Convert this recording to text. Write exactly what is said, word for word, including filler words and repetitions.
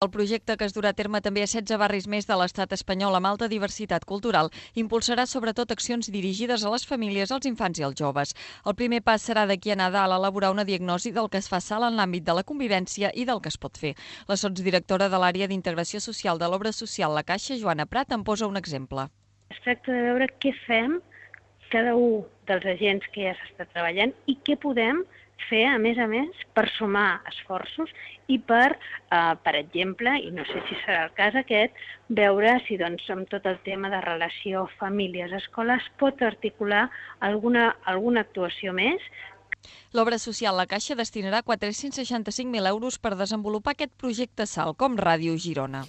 El projecte, que es durà a terme també a setze barris més de l'estat espanyol amb alta diversitat cultural, impulsarà sobretot accions dirigides a les famílies, als infants i als joves. El primer pas serà d'aquí a Nadal elaborar una diagnosi del que es fa sala en l'àmbit de la convivència i del que es pot fer. La sotsdirectora de l'àrea d'integració social de l'obra social La Caixa, Joana Prat, en posa un exemple. Es tracta de veure què fem cada un dels agents que ja s'està treballant i què podem fer, a més a més, per sumar esforços i per, eh, per exemple, i no sé si serà el cas aquest, veure si doncs, amb tot el tema de relació famílies-escola es pot articular alguna, alguna actuació més. L'obra social La Caixa destinarà quatre-cents seixanta-cinc mil euros per desenvolupar aquest projecte SAL, com Ràdio Girona.